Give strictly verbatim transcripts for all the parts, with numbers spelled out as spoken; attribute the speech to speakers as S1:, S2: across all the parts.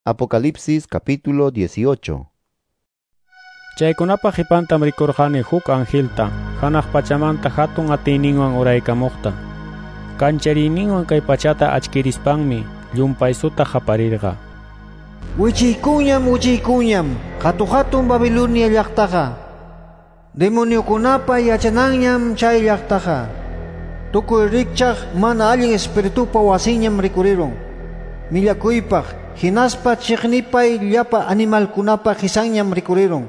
S1: Apocalipsis capítulo dieciocho.
S2: Chaykunapa qipantam rikurqani huk angelta, hanaq pachamanta hatun atiyninwan uraykamuqta. Kanchariyninwan kay pachata achkirispanmi llumpaysuta qaparirqa.
S3: Wichiykuñam, wichiykuñam, hatu-hatun Babilonia llaqtaqa. Demoniokunapa yachananñam chay llaqtaqa. Tukuy rikchaq mana allin espiritupa wasinñam rikurirun. Millakuypaq, hinaspa chiqnipay llapa animalkunapa qisanñam rikurirun.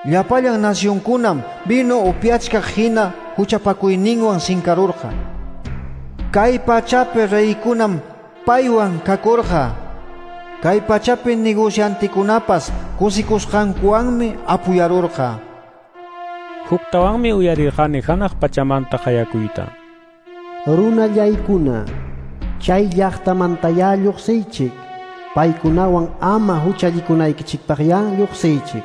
S3: Llapallan nacionkunam vino upiachkaq hina huchapakuyninwan sinkarurqa. Kay pachapi reykunam paywan kakurqa. Kay pachapi negociantikunapas kusikusqankuwanmi apuyarurqa.
S2: Huktawanmi uyarirqani hanaq pachamanta qayakuyta.
S4: Runallaykuna, chay llaqtamantayá lluqsiychik, paykunawan ama huchallikunaykichikpaqyá lluqsiychik.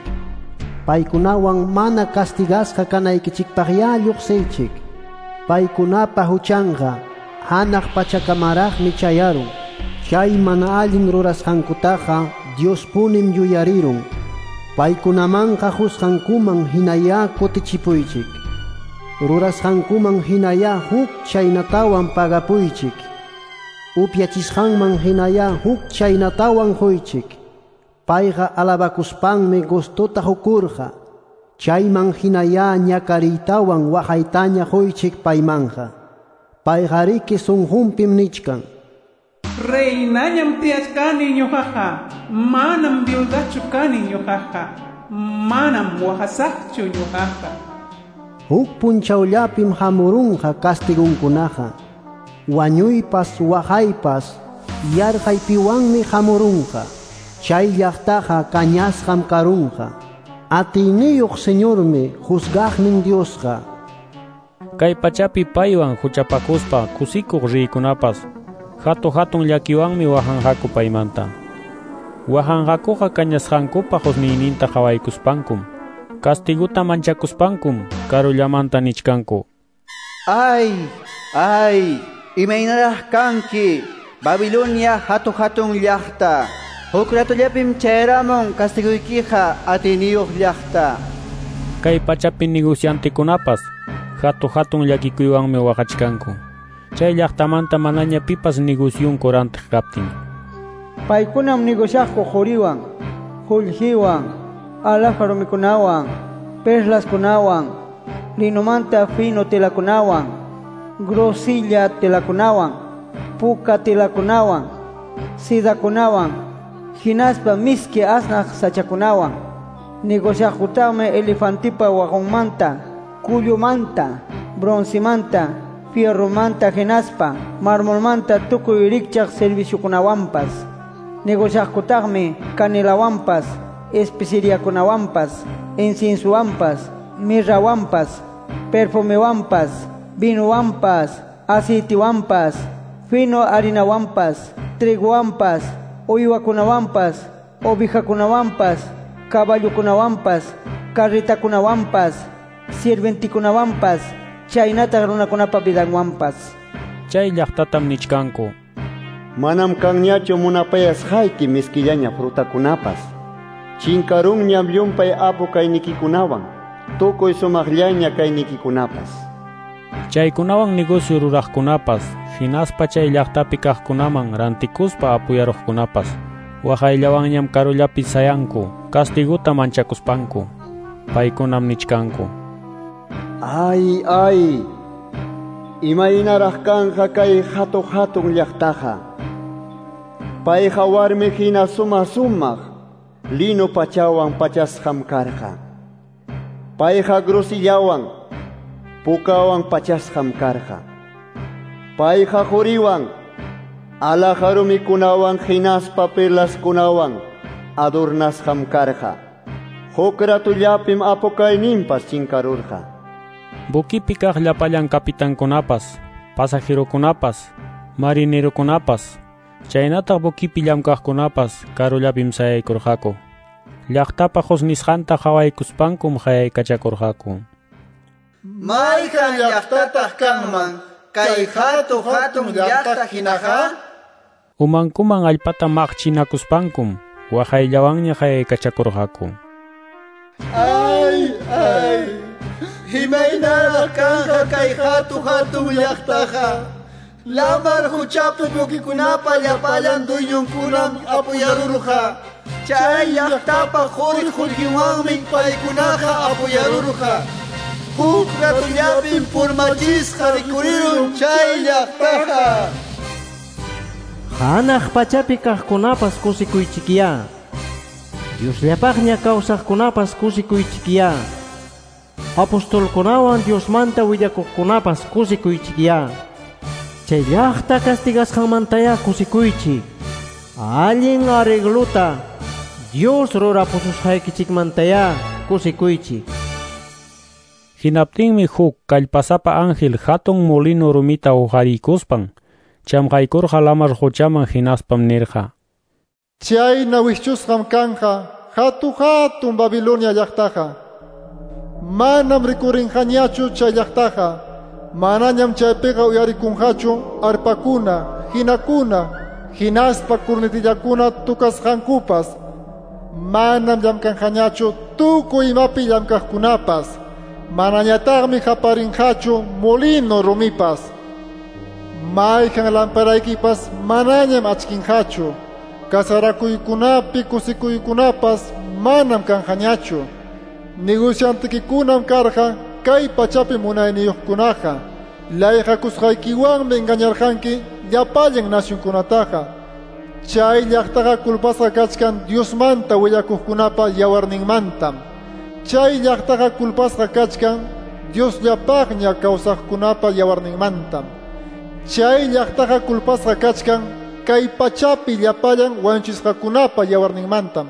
S4: Paykunawan mana castigasqa kanaykichikpaqyá lluqsiychik. Paykunapa huchanqa hanaq pachakamaraqmi chayarun. Chay mana allin rurasqankutaqa Diospunim yuyarirun. Paykunamanqa husqankuman hinayá kutichipuychik. Rurasqankuman hinayá huk chaynatawan pagapuychik. Upyachisqanman hinayá huk chaynatawan huychik. Payqa alabakuspanmi gustota hukurqa. Chayman hinayá ñakariytawan waqaytaña huychik paymanqa. Payqariki sunqunpim nichkan.
S5: Reinañam tiyachkani ñuqaqa, manam viudachu kani ñuqaqa, manam waqasaqchu ñuqaqa.
S4: Huk punchawllapim hamurunqa castigunkunaqa. Wañuypas waqaypas yarqaypiwanmi hamurunqa. Chay llaqtaqa kañasqam karunqa. Atiyniyuq Señormi juzgaqnin Diosqa.
S2: Kay pachapi paywan huchapakuspa kusikuq riykunapas hatu hatun llakiwanmi waqanqaku paymanta. Waqanqakuqa kañasqankupa husniyninta qhawaykuspankum, kastiguta manchakuspankum karullamanta nichkanku.
S6: Ay, ay, imaynaraq kanki, Babilonia hatu hatun llaqta. Huk ratullapim chayaramun kastiguykiqa atiyniyuq llaqta.
S2: Kay pachapi negociantikunapas hatu hatun llakikuywanmi waqachkanku. Chay llaqtamanta manaña pipas negosyunku rantiq kaptin.
S7: Paykunam negociaqku quriwan, qullqiwan, alhaja rumikunawan, perlaskunawan, linomanta fino telakunawan, grosilla telakunawan, puka telakunawan, sidakunawan, hinaspa miski asnaq sachakunawan. Negociaqkutaqmi elefantipa waqunmanta, kullumanta, broncemanta, fierromanta hinaspa marmolmanta tukuy rikchaq serviciokunawanpas. Negociaqkutaqmi canelawanpas, especeriakunawanpas, inciensowanpas, mirrawanpas, perfumewanpas, vinowanpas, aceitewanpas, fino harinawanpas, trigowanpas, uywakunawanpas, ovejakunawanpas, caballokunawanpas, carretakunawanpas, sirventikunawanpas, chaynataq runakunapa vidanwanpas.
S2: Chay llaqtatam nichkanku.
S8: Manam kanñachu munapayasqayki miskillaña frutakunapas. Chinkarunñam llumpay apu kaynikikunawan, tukuy sumaqllaña kaynikikunapas.
S2: Chaykunawan negocio ruraqkunapas, hinaspa chay llaqtapi kaqkunaman rantikuspa apuyaruqkunapas, waqayllawanñam karullapi sayanku, kastiguta manchakuspanku. Paykunam nichkanku.
S8: Ay, ay, imaynaraq kanqa kay hatu hatun llaqtaqa. Payqa warmi hina suma sumaq, lino pachawan pachasqam karqa. Payqa grosillawan, pukawan pachasqam karqa. Payqa quriwan, alhaja rumikunawan hinaspa perlaskunawan adornasqam karqa. Huk ratullapim apukayninpas chinkarurqa.
S2: Bukipi kaq llapallan kapitankunapas, pasajerokunapas, marinerokunapas, chaynataq bukipi llamkaqkunapas karullapim sayaykurqaku. Llaqtapa husnisqanta qhawaykuspankum qayaykachakurqaku.
S6: Mayqan llaqtataq kanman kay hatu hatun llaqta hinaqa?
S2: Umankuman allpata maqchinakuspankum waqayllawanña qayaykachakurqaku.
S6: Ay, ay, imaynaraq kanqa kay hatu-hatun llaqtaqa. Lamar huchapi buquikunapa llapallan dueñonkunam apuyarurqa. Chay llaqtapa quri qullqiwanmi paykunaqa apuyarurqa. Huk ratullapim purmachisqa rikurirun chay llaqtaqa.
S9: Hanaq pachapi kaqkunapas kusikuychikyá. Diosllapaqña kawsaqkunapas kusikuychikyá. Apostolkunawan Diosmanta willakuqkunapas kusikuychikyá. Chay llaqta castigasqanmantayá kusikuychik. Allin arregluta Dios rurapususqaykichikmantayá kusikuychik.
S2: Hinaptinmi huk kallpasapa ángel hatun molino rumita uqariykuspan chamqaykurqa lamar quchaman hinaspam nirqa:
S10: Chayna wischusqam kanqa hatu-hatun Babilonia llaqtaqa. Manam rikurinqañachu chay llaqtaqa. Manañam chaypiqa uyarikunqachu arpakuna, hinakuna, hinaspa kurnitillakuna tukasqankupas. Manam llamkanqañachu tukuy imapi llamkaqkunapas. Manañataqmi qaparinqachu molino rumipas. Mayqan lamparaykipas manañam achkinqachu. Kasarakuykunapi kusikuykunapas manam kanqañachu. Negociantikikunam karqa kay pachapi munayniyuqkunaqa. Layqakusqaykiwanmi engañarqanki llapallan nacionkunataqa. Chay llaqtaqa culpasqa kachkan Diosmanta willakuqkunapa yawarninmantam. Chay llaqtaqa culpasqa kachkan Diosllapaqña kawsaqkunapa yawarninmantam. Chay llaqtaqa culpasqa kachkan kay pachapi llapallan wañuchisqakunapa yawarninmantam.